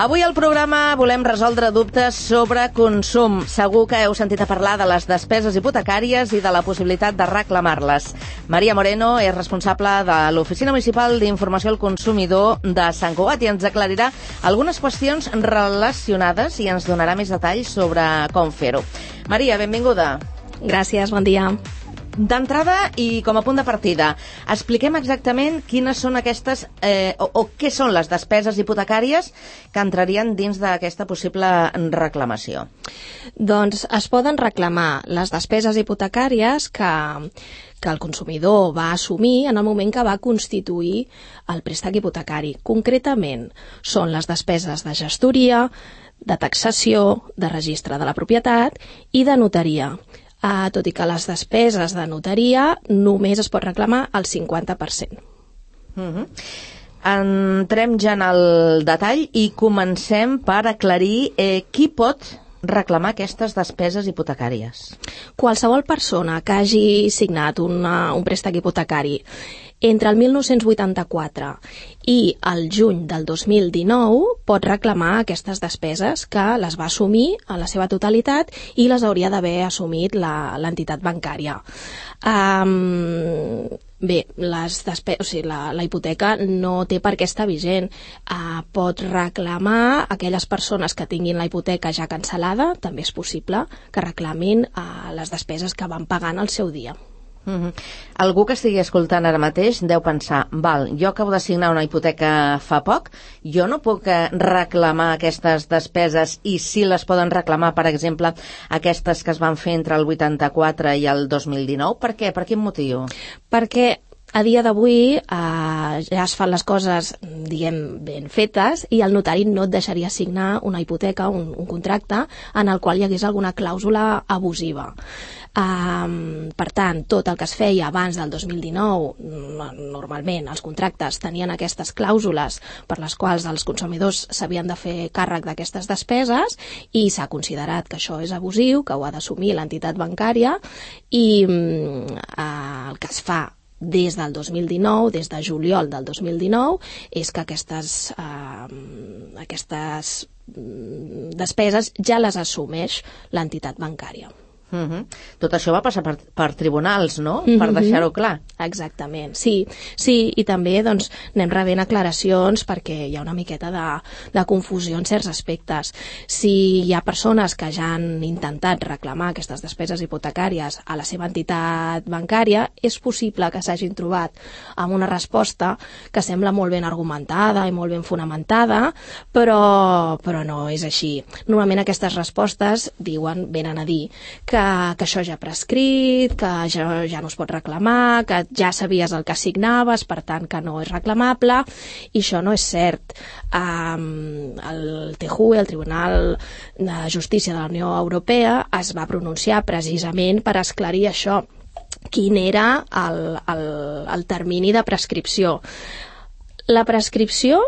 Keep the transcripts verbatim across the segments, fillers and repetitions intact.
Avui al programa volem resoldre dubtes sobre consum. Segur que heu sentit a parlar de les despeses hipotecàries i de la possibilitat de reclamar-les. Maria Moreno és responsable de l'Oficina Municipal d'Informació al Consumidor de Sant Cugat i ens aclarirà algunes qüestions relacionades i ens donarà més detalls sobre com fer-ho. Maria, benvinguda. Gràcies, bon dia. D'entrada i com a punt de partida, expliquem exactament quines són aquestes, eh, o, o què són les despeses hipotecàries que entrarien dins d'aquesta possible reclamació. Doncs es poden reclamar les despeses hipotecàries que, que el consumidor va assumir en el moment que va constituir el préstec hipotecari. Concretament, són les despeses de gestoria, de taxació, de registre de la propietat i de notaria. Uh, tot i que les despeses de notaria només es pot reclamar el cinquanta per cent. Uh-huh. Entrem ja en el detall i comencem per aclarir eh, qui pot reclamar aquestes despeses hipotecàries. Qualsevol persona que hagi signat una, un préstec hipotecari entre el mil nou-cents vuitanta-quatre i el juny del dos mil dinou pot reclamar aquestes despeses que les va assumir a la seva totalitat i les hauria d'haver assumit la, l'entitat bancària. Um, bé, les despe- o sigui, la, la hipoteca no té per què estar vigent. Uh, pot reclamar aquelles persones que tinguin la hipoteca ja cancel·lada, també és possible que reclamin uh, les despeses que van pagant al seu dia. Uh-huh. Algú que estigui escoltant ara mateix deu pensar, val, jo acabo de signar una hipoteca fa poc, jo no puc reclamar aquestes despeses i si les poden reclamar, per exemple, aquestes que es van fer entre el vuitanta-quatre i el dos mil dinou? Per què? Per quin motiu? Perquè a dia d'avui eh, ja es fan les coses, diguem, ben fetes i el notari no et deixaria signar una hipoteca, un, un contracte en el qual hi hagués alguna clàusula abusiva. Um, per tant, tot el que es feia abans del dos mil dinou, normalment els contractes tenien aquestes clàusules per les quals els consumidors s'havien de fer càrrec d'aquestes despeses i s'ha considerat que això és abusiu, que ho ha d'assumir l'entitat bancària i um, uh, el que es fa des del dos mil dinou, des de juliol del dos mil dinou, és que aquestes, eh, aquestes despeses ja les assumeix l'entitat bancària. Uh-huh. Tot això va passar per, per tribunals, no? Uh-huh. Per deixar-ho clar. Exactament, sí, sí, i també doncs, anem rebent aclaracions perquè hi ha una miqueta de, de confusió en certs aspectes. Si hi ha persones que ja han intentat reclamar aquestes despeses hipotecàries a la seva entitat bancària, és possible que s'hagin trobat amb una resposta que sembla molt ben argumentada i molt ben fonamentada, però, però no és així. Normalment aquestes respostes diuen, venen a dir que que això ja ha prescrit, que ja, ja no es pot reclamar, que ja sabies el que signaves, per tant que no és reclamable, i això no és cert. Um, el T J U E, el Tribunal de Justícia de la Unió Europea, es va pronunciar precisament per esclarir això, quin era el, el, el termini de prescripció. La prescripció,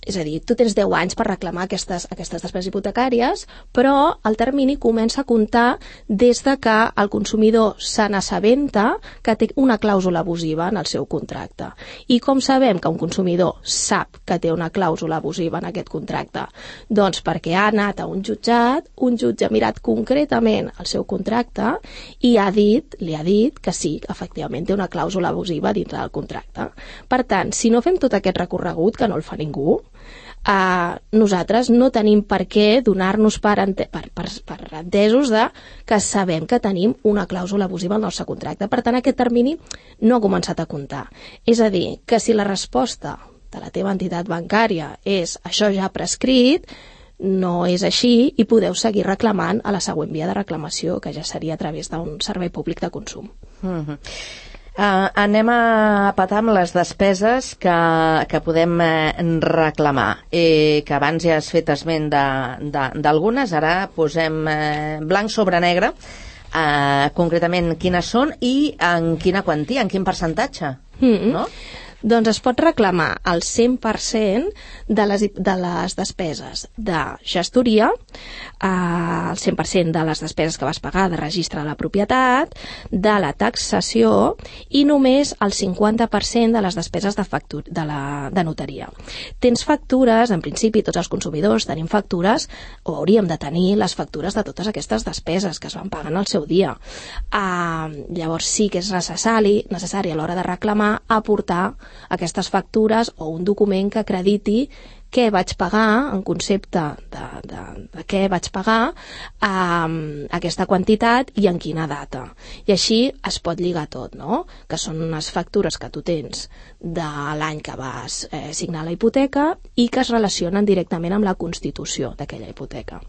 és a dir, tu tens deu anys per reclamar aquestes, aquestes despeses hipotecàries, però el termini comença a comptar des de que el consumidor se n'assabenta que té una clàusula abusiva en el seu contracte. I com sabem que un consumidor sap que té una clàusula abusiva en aquest contracte? Doncs perquè ha anat a un jutjat, un jutge ha mirat concretament el seu contracte i ha dit, li ha dit que sí, que efectivament té una clàusula abusiva dintre del contracte. Per tant, si no fem tot aquest recorregut, que no el fa ningú, Uh, nosaltres no tenim per què donar-nos per, ente per, per, per entesos de que sabem que tenim una clàusula abusiva al nostre contracte. Per tant, aquest termini no ha començat a comptar. És a dir, que si la resposta de la teva entitat bancària és això ja ha prescrit, no és així i podeu seguir reclamant a la següent via de reclamació, que ja seria a través d'un servei públic de consum. Mm-hmm. Uh, anem a petar amb les despeses que, que podem eh, reclamar, eh, que abans ja has fet esment d'algunes, ara posem eh, blanc sobre negre, eh, concretament quines són i en quina quantia, en quin percentatge, mm-hmm. no? Doncs es pot reclamar el cent per cent de les, de les despeses de gestoria, eh, el cent per cent de les despeses que vas pagar de registre de la propietat, de la taxació i només el cinquanta per cent de les despeses de, factur de, la, de notaria. Tens factures, en principi tots els consumidors tenim factures, o hauríem de tenir les factures de totes aquestes despeses que es van pagant al seu dia. Eh, llavors sí que és necessari, necessari a l'hora de reclamar aportar aquestes factures o un document que acrediti què vaig pagar en concepte de, de, de què vaig pagar eh, aquesta quantitat i en quina data. I així es pot lligar tot, no? Que són unes factures que tu tens de l'any que vas eh, signar la hipoteca i que es relacionen directament amb la constitució d'aquella hipoteca.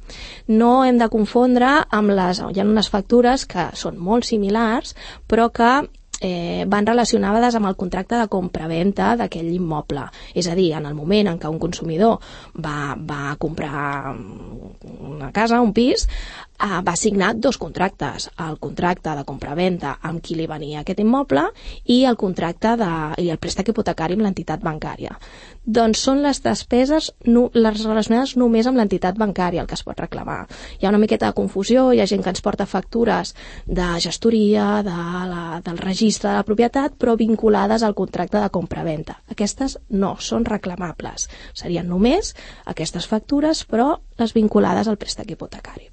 No hem de confondre amb les... Hi ha unes factures que són molt similars però que Eh, van relacionades amb el contracte de compra-venta d'aquell immoble. És a dir, en el moment en què un consumidor va, va comprar una casa, un pis, eh, va signar dos contractes. El contracte de compra-venta amb qui li venia aquest immoble i el contracte de, i el préstec hipotecari amb l'entitat bancària. Doncs són les despeses no, les relacionades només amb l'entitat bancària el que es pot reclamar. Hi ha una miqueta de confusió, hi ha gent que ens porta factures de gestoria, de la, del registre de la propietat, però vinculades al contracte de compra-venta. Aquestes no són reclamables. Serien només aquestes factures, però les vinculades al préstec hipotecari.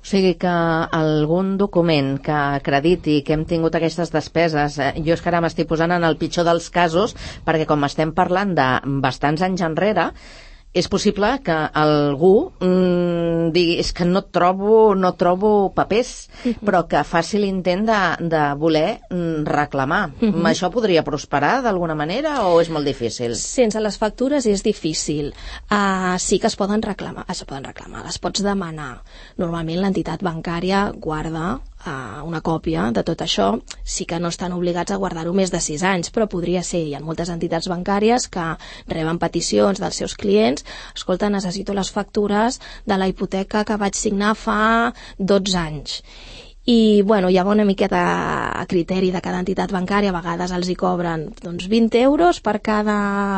O sigui que algun document que acrediti que hem tingut aquestes despeses, eh, jo és que ara m'estic posant en el pitjor dels casos, perquè com estem parlant de bastants anys enrere, és possible que algú mmm, digui és que no trobo, no trobo papers, uh-huh. però que faci l'intent de, de voler mm, reclamar. Uh-huh. Això podria prosperar d'alguna manera o és molt difícil? Sense les factures és difícil. Uh, sí que es poden reclamar, es poden reclamar, les pots demanar. Normalment l'entitat bancària guarda uh, una còpia de tot això. Sí que no estan obligats a guardar-ho més de sis anys, però podria ser. Hi ha moltes entitats bancàries que reben peticions dels seus clients. Escolta, necessito les factures de la hipoteca que vaig signar fa dotze anys. I, bueno, hi ha una miqueta a criteri de cada entitat bancària, a vegades els hi cobren doncs, vint euros per cada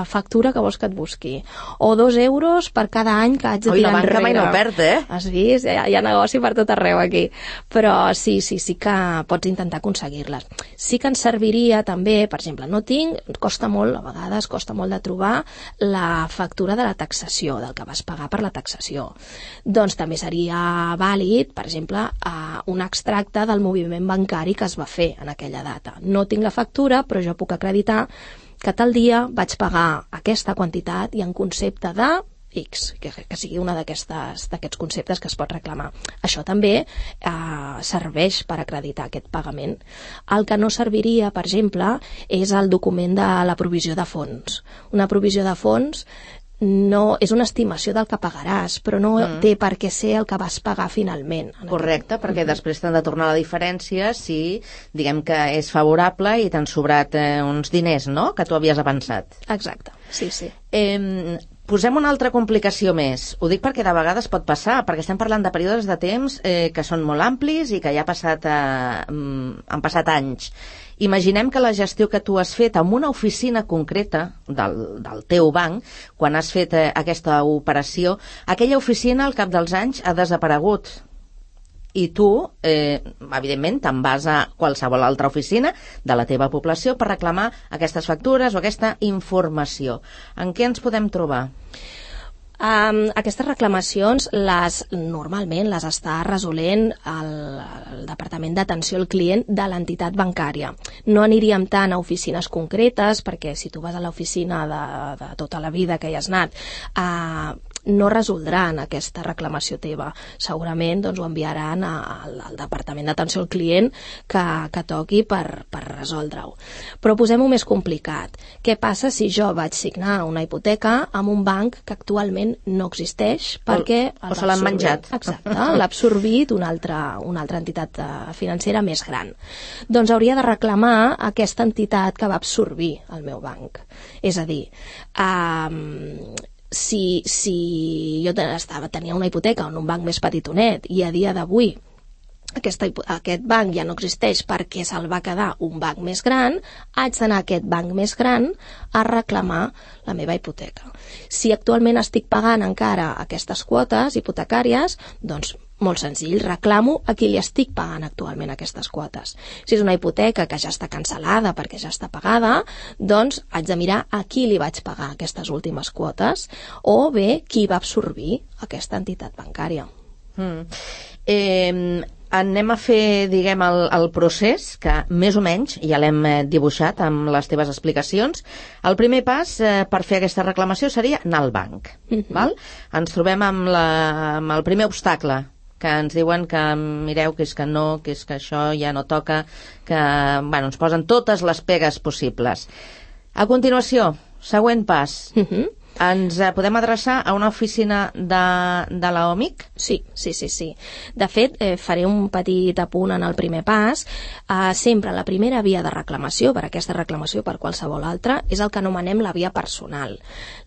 factura que vols que et busqui, o dos euros per cada any que haig de Oi, tirar enrere. Oi, la banca mai no perd, eh? Has vist? Hi ha, hi ha negoci per tot arreu aquí. Però sí, sí, sí que pots intentar aconseguir-les. Sí que ens serviria també, per exemple, no tinc, costa molt, a vegades costa molt de trobar la factura de la taxació, del que vas pagar per la taxació. Doncs també seria vàlid, per exemple, un extracte del moviment bancari que es va fer en aquella data. No tinc la factura, però jo puc acreditar que tal dia vaig pagar aquesta quantitat i en concepte de X, que, que sigui una d'aquests conceptes que es pot reclamar. Això també eh, serveix per acreditar aquest pagament. El que no serviria, per exemple, és el document de la provisió de fons. Una provisió de fons no, és una estimació del que pagaràs, però no mm. té per què ser el que vas pagar finalment. Correcte, aquest... perquè mm-hmm. després t'han de tornar la diferència si diguem que és favorable i t'han sobrat eh, uns diners, no?, que tu havies avançat. Exacte, sí, sí. Eh, posem una altra complicació més. Ho dic perquè de vegades pot passar, perquè estem parlant de períodes de temps eh, que són molt amplis i que ja ha passat, eh, han passat anys. Imaginem que la gestió que tu has fet en una oficina concreta del, del teu banc, quan has fet eh, aquesta operació, aquella oficina al cap dels anys ha desaparegut. I tu, eh, evidentment, te'n vas a qualsevol altra oficina de la teva població per reclamar aquestes factures o aquesta informació. En què ens podem trobar? Um, aquestes reclamacions les, normalment les està resolent el, el Departament d'Atenció al Client de l'entitat bancària. No aniríem tant a oficines concretes, perquè si tu vas a l'oficina de, de tota la vida que hi has anat, uh, no resoldran aquesta reclamació teva. Segurament doncs, ho enviaran al, al Departament d'Atenció al Client que, que toqui per, per resoldre-ho. Però posem-ho més complicat. Què passa si jo vaig signar una hipoteca amb un banc que actualment no existeix perquè... O, o se l'han menjat. Exacte, l'ha absorbit una altra, una altra entitat financera més gran. Doncs hauria de reclamar aquesta entitat que va absorbir el meu banc. És a dir, um, si, si jo estava, tenia una hipoteca en un banc més petitonet i a dia d'avui Aquesta, aquest banc ja no existeix perquè se'l va quedar un banc més gran, haig d'anar a aquest banc més gran a reclamar la meva hipoteca. Si actualment estic pagant encara aquestes quotes hipotecàries, doncs molt senzill, reclamo a qui li estic pagant actualment aquestes quotes. Si és una hipoteca que ja està cancel·lada perquè ja està pagada, doncs haig de mirar a qui li vaig pagar aquestes últimes quotes o bé qui va absorbir aquesta entitat bancària. Mm. Eh... Anem a fer, diguem, el, el procés, que més o menys ja l'hem dibuixat amb les teves explicacions. El primer pas eh, per fer aquesta reclamació seria anar al banc. Mm-hmm. Val? Ens trobem amb, la, amb el primer obstacle, que ens diuen que mireu que és que no, que és que això ja no toca, que bueno, ens posen totes les pegues possibles. A continuació, següent pas. Mm-hmm. Ens eh, podem adreçar a una oficina de, de la O M I C? Sí, sí, sí, sí. De fet, eh, faré un petit apunt en el primer pas. Eh, sempre la primera via de reclamació, per aquesta reclamació per qualsevol altra, és el que anomenem la via personal.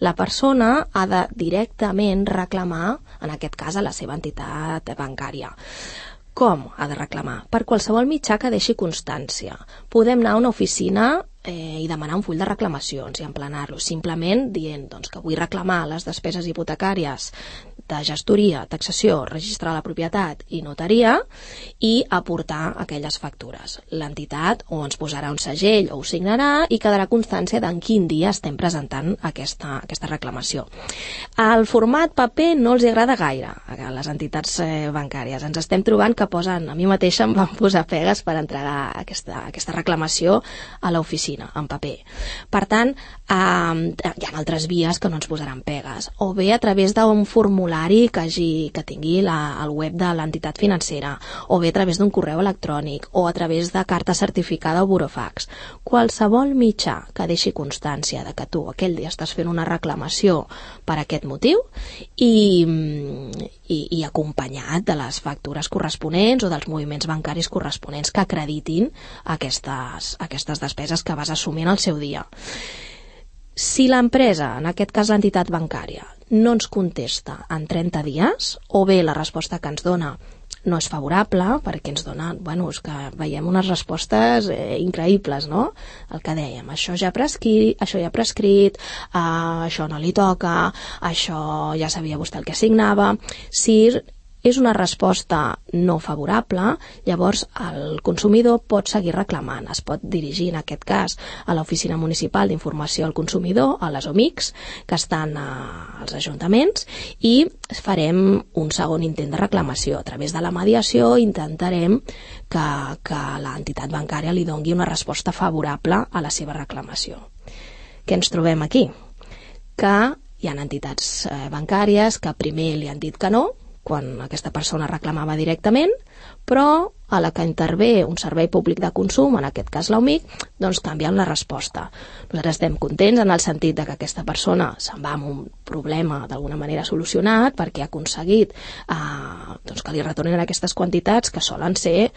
La persona ha de directament reclamar, en aquest cas, a la seva entitat bancària. Com ha de reclamar? Per qualsevol mitjà que deixi constància. Podem anar a una oficina eh, i demanar un full de reclamacions i emplenar-lo, simplement dient doncs, que vull reclamar les despeses hipotecàries de gestoria, taxació, registre de la propietat i notaria i aportar aquelles factures. L'entitat o ens posarà un segell o ho signarà i quedarà constància d'en quin dia estem presentant aquesta, aquesta reclamació. El format paper no els agrada gaire a les entitats eh, bancàries. Ens estem trobant que posen, a mi mateixa em van posar pegues per entregar aquesta, aquesta reclamació a l'oficina, en paper. Per tant, eh, hi ha altres vies que no ens posaran pegues. O bé a través d'un formulari que, hagi, que tingui la, el web de l'entitat financera, o bé a través d'un correu electrònic, o a través de carta certificada o burofax. Qualsevol mitjà que deixi constància de que tu aquell dia estàs fent una reclamació per aquest motiu i, i, i acompanyat de les factures corresponents o dels moviments bancaris corresponents que acreditin aquestes, aquestes despeses que vas assumir en el seu dia. Si l'empresa, en aquest cas l'entitat bancària, no ens contesta en trenta dies, o bé la resposta que ens dona no és favorable, perquè ens dona, bueno, és que veiem unes respostes eh, increïbles, no? El que dèiem, això ja ha prescrit, això ja ha prescrit, eh, això no li toca, això ja sabia vostè el que signava. Si és una resposta no favorable, llavors el consumidor pot seguir reclamant. Es pot dirigir, en aquest cas, a l'Oficina Municipal d'Informació al Consumidor, a les O M I Cs, que estan als ajuntaments, i farem un segon intent de reclamació. A través de la mediació intentarem que, que l'entitat bancària li doni una resposta favorable a la seva reclamació. Què ens trobem aquí? Que hi ha entitats bancàries que primer li han dit que no, quan aquesta persona reclamava directament, però a la que intervé un servei públic de consum, en aquest cas l'O M I C, doncs canvien la resposta. Nosaltres estem contents en el sentit de que aquesta persona se'n va amb un problema d'alguna manera solucionat perquè ha aconseguit eh, doncs que li retornin aquestes quantitats que solen ser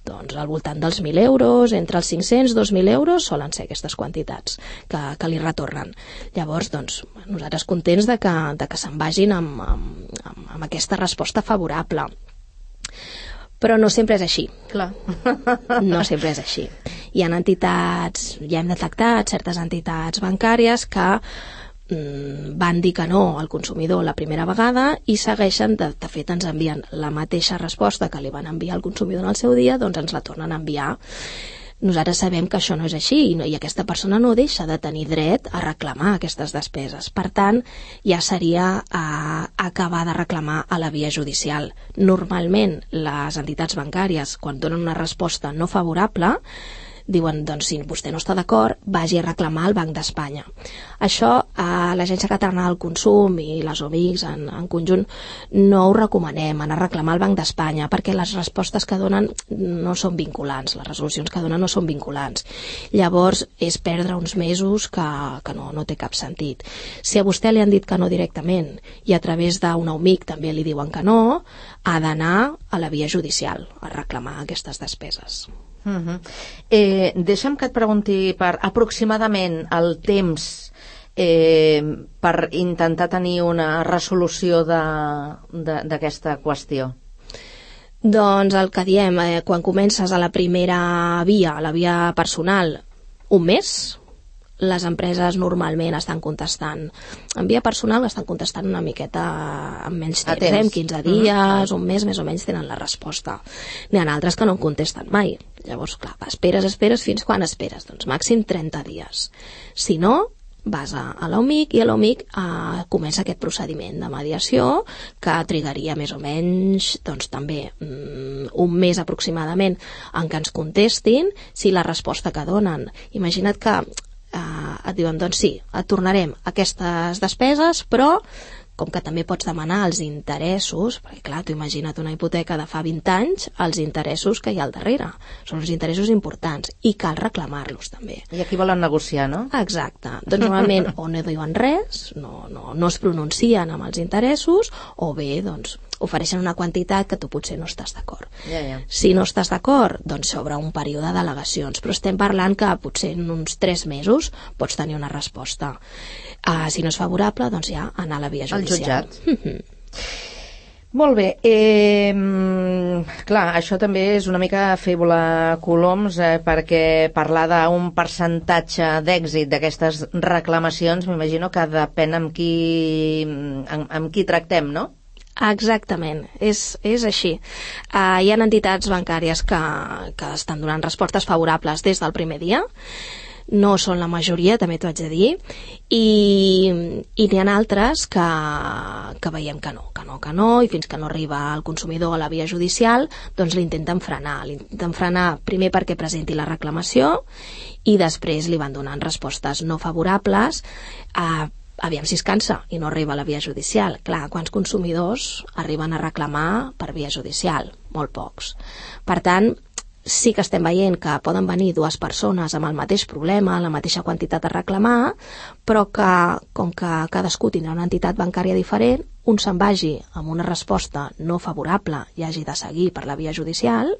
doncs al voltant dels mil euros, entre els cinc-cents i dos mil euros solen ser aquestes quantitats que, que li retornen. Llavors, doncs, nosaltres contents de que, de que se'n vagin amb, amb, amb aquesta resposta favorable. Però no sempre és així. Clar. No sempre és així. Hi ha entitats, ja hem detectat certes entitats bancàries que van dir que no al consumidor la primera vegada i segueixen, de, de fet ens envien la mateixa resposta que li van enviar al consumidor en el seu dia, doncs ens la tornen a enviar. Nosaltres sabem que això no és així i, no, i aquesta persona no deixa de tenir dret a reclamar aquestes despeses. Per tant, ja seria a acabar de reclamar a la via judicial. Normalment, les entitats bancàries, quan donen una resposta no favorable, diuen, doncs, si vostè no està d'acord, vagi a reclamar al Banc d'Espanya. Això, a l'Agència Catalana del Consum i les O M I Cs en, en conjunt, no ho recomanem, anar a reclamar al Banc d'Espanya, perquè les respostes que donen no són vinculants, les resolucions que donen no són vinculants. Llavors, és perdre uns mesos que, que no, no té cap sentit. Si a vostè li han dit que no directament i a través d'una O M I C també li diuen que no, ha d'anar a la via judicial a reclamar aquestes despeses. Uh-huh. Eh, deixa'm que et pregunti per aproximadament el temps eh, per intentar tenir una resolució d'aquesta qüestió. Doncs el que diem, eh, quan comences a la primera via, a la via personal, un mes, les empreses normalment estan contestant. En via personal estan contestant una miqueta amb menys temps, eh? En quinze dies, mm-hmm. un mes més o menys tenen la resposta. N'hi ha altres que no en contesten mai. Llavors, clar, esperes, esperes, fins quan esperes? Doncs màxim trenta dies. Si no, vas a, a l'O M I C i a l'O M I C eh, comença aquest procediment de mediació que trigaria més o menys doncs també mm, un mes aproximadament en què ens contestin si la resposta que donen. Imagina't que eh, et diuen, doncs sí, et tornarem aquestes despeses, però com que també pots demanar els interessos, perquè clar, tu imagina't una hipoteca de fa vint anys, els interessos que hi ha al darrere. Són uns interessos importants i cal reclamar-los també. I aquí volen negociar, no? Exacte. Doncs normalment o no diuen res, no, no, no es pronuncien amb els interessos, o bé, doncs, ofereixen una quantitat que tu potser no estàs d'acord. Ja, ja. Si no estàs d'acord, doncs s'obre un període d'al·legacions, però estem parlant que potser en uns tres mesos pots tenir una resposta. Uh, si no és favorable, doncs ja anar a la via judicial. Al jutjat. Mm-hmm. Molt bé. Eh, clar, això també és una mica fer volar coloms, eh, perquè parlar d'un percentatge d'èxit d'aquestes reclamacions, m'imagino que depèn amb qui, amb, amb qui tractem, no? Exactament, és, és així. Uh, hi ha entitats bancàries que, que estan donant respostes favorables des del primer dia, no són la majoria, també t'ho haig de dir, i, i n'hi ha altres que, que veiem que no, que no, que no, i fins que no arriba el consumidor a la via judicial, doncs l'intenten frenar. L'intenten frenar primer perquè presenti la reclamació i després li van donant respostes no favorables a aviam si es cansa i no arriba a la via judicial. Clar, quants consumidors arriben a reclamar per via judicial? Molt pocs. Per tant, sí que estem veient que poden venir dues persones amb el mateix problema, la mateixa quantitat a reclamar, però que, com que cadascú tindrà una entitat bancària diferent, un se'n vagi amb una resposta no favorable i hagi de seguir per la via judicial,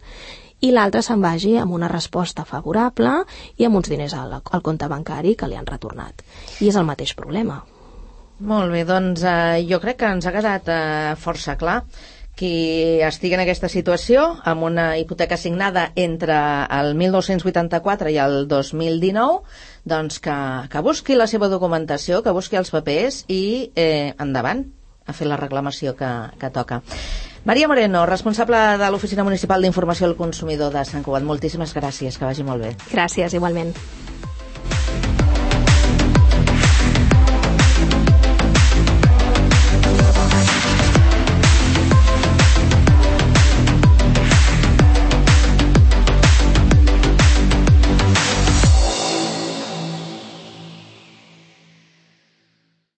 i l'altre se'n vagi amb una resposta favorable i amb uns diners al, al compte bancari que li han retornat. I és el mateix problema. Molt bé, doncs eh, jo crec que ens ha quedat eh, força clar. Qui estigui en aquesta situació, amb una hipoteca signada entre el mil nou-cents vuitanta-quatre i el dos mil dinou, doncs que, que busqui la seva documentació, que busqui els papers i eh, endavant a fer la reclamació que, que toca. Maria Moreno, responsable de l'Oficina Municipal d'Informació al Consumidor de Sant Cugat. Moltíssimes gràcies, que vagi molt bé. Gràcies, igualment.